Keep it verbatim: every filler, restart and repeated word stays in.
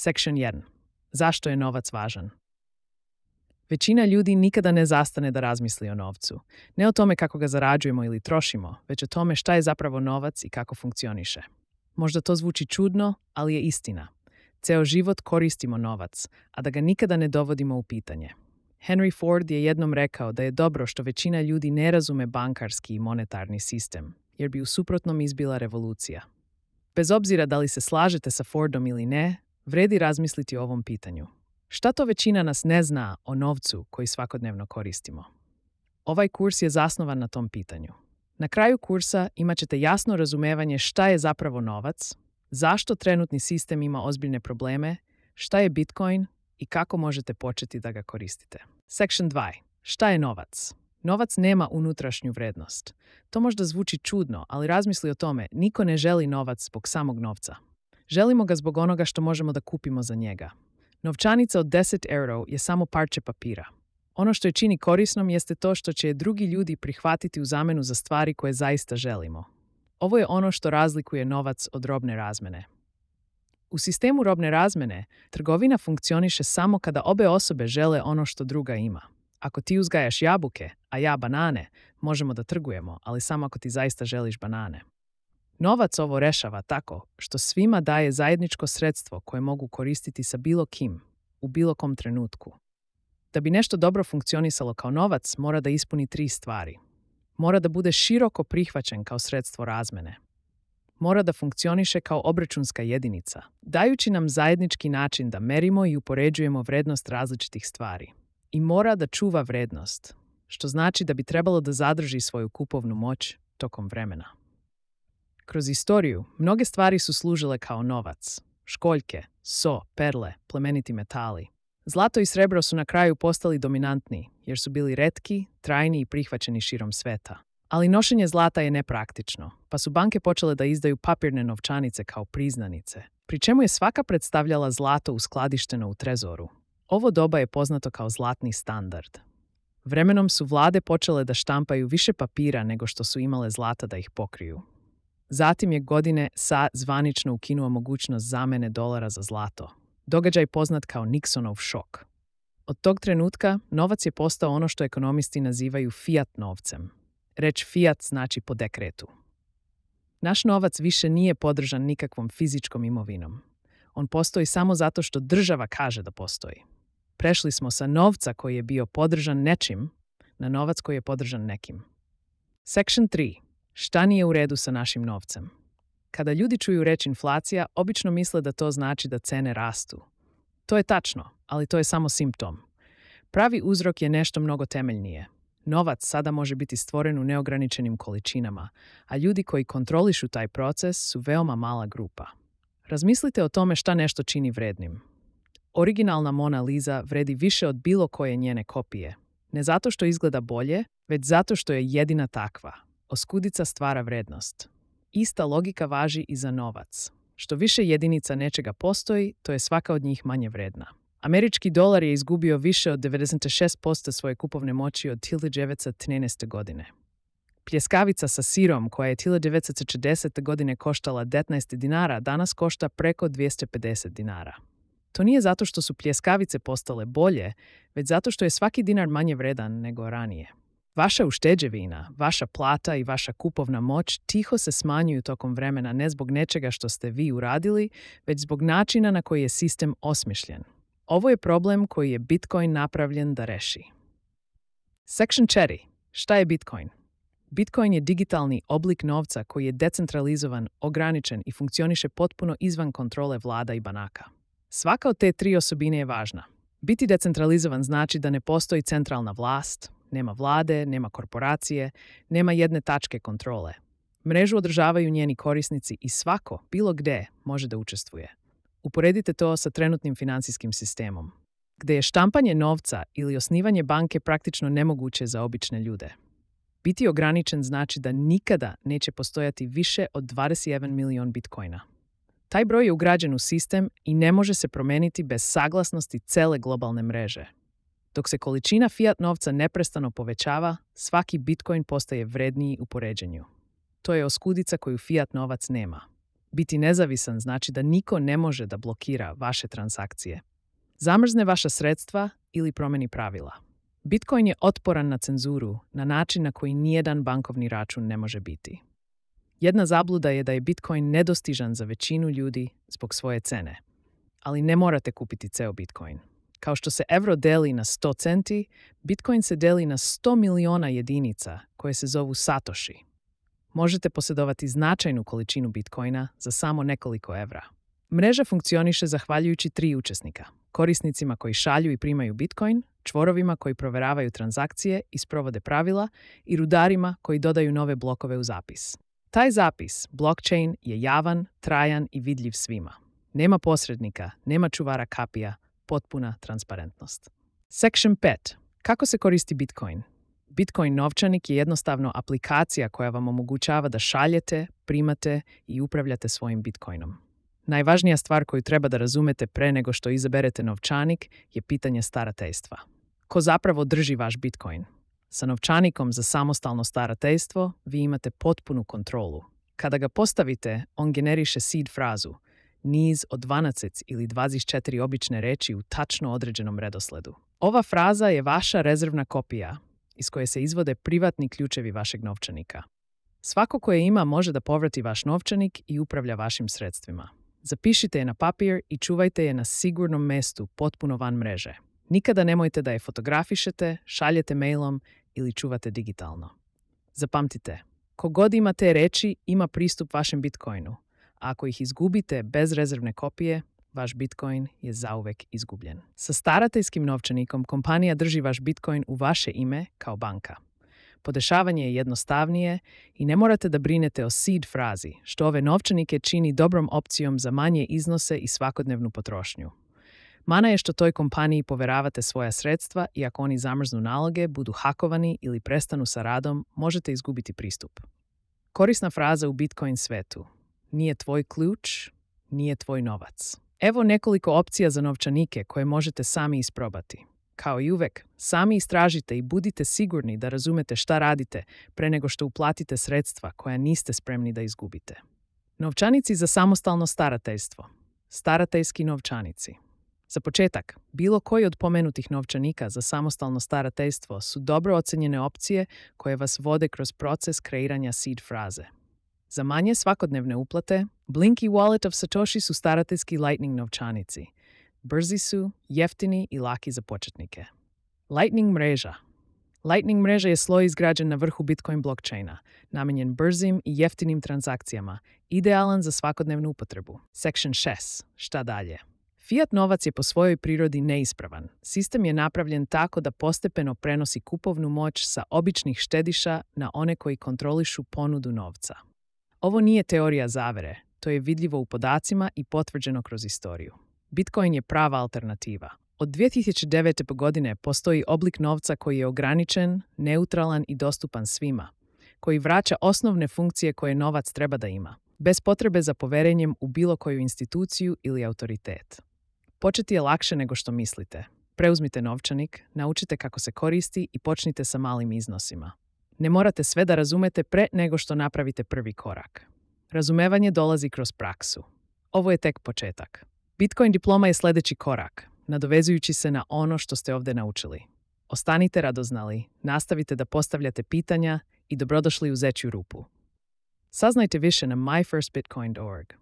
Section jedan. Zašto je novac važan? Većina ljudi nikada ne zastane da razmisli o novcu. Ne o tome kako ga zarađujemo ili trošimo, već o tome šta je zapravo novac i kako funkcioniše. Možda to zvuči čudno, ali je istina. Ceo život koristimo novac, a da ga nikada ne dovodimo u pitanje. Henry Ford je jednom rekao da je dobro što većina ljudi ne razume bankarski i monetarni sistem, jer bi u suprotnom izbila revolucija. Bez obzira da li se slažete sa Fordom ili ne, vredi razmisliti o ovom pitanju. Šta to većina nas ne zna o novcu koji svakodnevno koristimo? Ovaj kurs je zasnovan na tom pitanju. Na kraju kursa imat ćete jasno razumevanje šta je zapravo novac, zašto trenutni sistem ima ozbiljne probleme, šta je Bitcoin i kako možete početi da ga koristite. Section dva. Šta je novac? Novac nema unutrašnju vrednost. To možda zvuči čudno, ali razmisli o tome, niko ne želi novac zbog samog novca. Želimo ga zbog onoga što možemo da kupimo za njega. Novčanica od deset eura je samo parče papira. Ono što je čini korisnom jeste to što će drugi ljudi prihvatiti u zamenu za stvari koje zaista želimo. Ovo je ono što razlikuje novac od robne razmene. U sistemu robne razmene, trgovina funkcioniše samo kada obe osobe žele ono što druga ima. Ako ti uzgajaš jabuke, a ja banane, možemo da trgujemo, ali samo ako ti zaista želiš banane. Novac ovo rešava tako što svima daje zajedničko sredstvo koje mogu koristiti sa bilo kim, u bilo kom trenutku. Da bi nešto dobro funkcionisalo kao novac, mora da ispuni tri stvari. Mora da bude široko prihvaćen kao sredstvo razmene. Mora da funkcioniše kao obračunska jedinica, dajući nam zajednički način da merimo i upoređujemo vrednost različitih stvari. I mora da čuva vrednost, što znači da bi trebalo da zadrži svoju kupovnu moć tokom vremena. Kroz istoriju, mnoge stvari su služile kao novac. Školjke, so, perle, plemeniti metali. Zlato i srebro su na kraju postali dominantni, jer su bili retki, trajni i prihvaćeni širom sveta. Ali nošenje zlata je nepraktično, pa su banke počele da izdaju papirne novčanice kao priznanice, pri čemu je svaka predstavljala zlato uskladišteno u trezoru. Ovo doba je poznato kao zlatni standard. Vremenom su vlade počele da štampaju više papira nego što su imale zlata da ih pokriju. Zatim je godine S A zvanično ukinuo mogućnost zamene dolara za zlato. Događaj poznat kao Nixonov šok. Od tog trenutka novac je postao ono što ekonomisti nazivaju fiat novcem. Reč fiat znači po dekretu. Naš novac više nije podržan nikakvom fizičkom imovinom. On postoji samo zato što država kaže da postoji. Prešli smo sa novca koji je bio podržan nečim na novac koji je podržan nekim. Section tri. Šta nije u redu sa našim novcem? Kada ljudi čuju reč inflacija, obično misle da to znači da cene rastu. To je tačno, ali to je samo simptom. Pravi uzrok je nešto mnogo temeljnije. Novac sada može biti stvoren u neograničenim količinama, a ljudi koji kontrolišu taj proces su veoma mala grupa. Razmislite o tome šta nešto čini vrednim. Originalna Mona Lisa vredi više od bilo koje njene kopije. Ne zato što izgleda bolje, već zato što je jedina takva. Oskudica stvara vrednost. Ista logika važi i za novac. Što više jedinica nečega postoji, to je svaka od njih manje vredna. Američki dolar je izgubio više od devedeset šest posto svoje kupovne moći od hiljadu devetsto trinaeste. godine. Pljeskavica sa sirom, koja je hiljadu devetsto čedesete. godine koštala devetnaest dinara, danas košta preko dvjesto pedeset dinara. To nije zato što su pljeskavice postale bolje, već zato što je svaki dinar manje vredan nego ranije. Vaša ušteđevina, vaša plata i vaša kupovna moć tiho se smanjuju tokom vremena ne zbog nečega što ste vi uradili, već zbog načina na koji je sistem osmišljen. Ovo je problem koji je Bitcoin napravljen da reši. Section četiri. Šta je Bitcoin? Bitcoin je digitalni oblik novca koji je decentralizovan, ograničen i funkcioniše potpuno izvan kontrole vlada i banaka. Svaka od te tri osobine je važna. Biti decentralizovan znači da ne postoji centralna vlast, nema vlade, nema korporacije, nema jedne tačke kontrole. Mrežu održavaju njeni korisnici i svako, bilo gde, može da učestvuje. Uporedite to sa trenutnim finansijskim sistemom, gde je štampanje novca ili osnivanje banke praktično nemoguće za obične ljude. Biti ograničen znači da nikada neće postojati više od dvadeset jedan milion bitcoina. Taj broj je ugrađen u sistem i ne može se promeniti bez saglasnosti cele globalne mreže. Dok se količina fiat novca neprestano povećava, svaki bitcoin postaje vredniji u poređenju. To je oskudica koju fiat novac nema. Biti nezavisan znači da niko ne može da blokira vaše transakcije, zamrzne vaša sredstva ili promeni pravila. Bitcoin je otporan na cenzuru na način na koji nijedan bankovni račun ne može biti. Jedna zabluda je da je Bitcoin nedostižan za većinu ljudi zbog svoje cene, ali ne morate kupiti ceo Bitcoin. Kao što se evro deli na sto centi, Bitcoin se deli na sto miliona jedinica koje se zovu satoshi. Možete posjedovati značajnu količinu Bitcoina za samo nekoliko evra. Mreža funkcioniše zahvaljujući tri učesnika: korisnicima koji šalju i primaju Bitcoin, čvorovima koji proveravaju transakcije i sprovode pravila i rudarima koji dodaju nove blokove u zapis. Taj zapis, blockchain, je javan, trajan i vidljiv svima. Nema posrednika, nema čuvara kapija, potpuna transparentnost. Section pet. Kako se koristi Bitcoin? Bitcoin novčanik je jednostavno aplikacija koja vam omogućava da šaljete, primate i upravljate svojim Bitcoinom. Najvažnija stvar koju treba da razumete pre nego što izaberete novčanik je pitanje starateljstva. Ko zapravo drži vaš Bitcoin? Sa novčanikom za samostalno starateljstvo vi imate potpunu kontrolu. Kada ga postavite, on generiše seed frazu, niz od dvanaest ili dvadeset četiri obične reči u tačno određenom redosledu. Ova fraza je vaša rezervna kopija, iz koje se izvode privatni ključevi vašeg novčanika. Svako ko je ima može da povrati vaš novčanik i upravlja vašim sredstvima. Zapišite je na papir i čuvajte je na sigurnom mestu potpuno van mreže. Nikada nemojte da je fotografišete, šaljete mailom ili čuvate digitalno. Zapamtite, kogod ima te reči ima pristup vašem Bitcoinu, a ako ih izgubite bez rezervne kopije, vaš Bitcoin je zauvek izgubljen. Sa starateljskim novčanikom kompanija drži vaš Bitcoin u vaše ime kao banka. Podešavanje je jednostavnije i ne morate da brinete o seed frazi, što ove novčanike čini dobrom opcijom za manje iznose i svakodnevnu potrošnju. Mana je što toj kompaniji poveravate svoja sredstva i ako oni zamrznu naloge, budu hakovani ili prestanu sa radom, možete izgubiti pristup. Korisna fraza u Bitcoin svetu: nije tvoj ključ, nije tvoj novac. Evo nekoliko opcija za novčanike koje možete sami isprobati. Kao i uvek, sami istražite i budite sigurni da razumete šta radite pre nego što uplatite sredstva koja niste spremni da izgubite. Novčanici za samostalno starateljstvo. Starateljski novčanici. Za početak, bilo koji od pomenutih novčanika za samostalno starateljstvo su dobro ocenjene opcije koje vas vode kroz proces kreiranja seed fraze. Za manje svakodnevne uplate, Blinky Wallet of Satoshi su starateljski Lightning novčanici. Brzi su, jeftini i laki za početnike. Lightning mreža. Lightning mreža je sloj izgrađen na vrhu Bitcoin blockchaina, namenjen brzim i jeftinim transakcijama, idealan za svakodnevnu upotrebu. Section šest. Šta dalje? Fiat novac je po svojoj prirodi neispravan. Sistem je napravljen tako da postepeno prenosi kupovnu moć sa običnih štediša na one koji kontrolišu ponudu novca. Ovo nije teorija zavere, to je vidljivo u podacima i potvrđeno kroz istoriju. Bitcoin je prava alternativa. Od dve hiljade devete. godine postoji oblik novca koji je ograničen, neutralan i dostupan svima, koji vraća osnovne funkcije koje novac treba da ima, bez potrebe za poverenjem u bilo koju instituciju ili autoritet. Početi je lakše nego što mislite. Preuzmite novčanik, naučite kako se koristi i počnite sa malim iznosima. Ne morate sve da razumete pre nego što napravite prvi korak. Razumevanje dolazi kroz praksu. Ovo je tek početak. Bitcoin diploma je sledeći korak, nadovezujući se na ono što ste ovde naučili. Ostanite radoznali, nastavite da postavljate pitanja i dobrodošli u zečju rupu. Saznajte više na my first bitcoin dot org.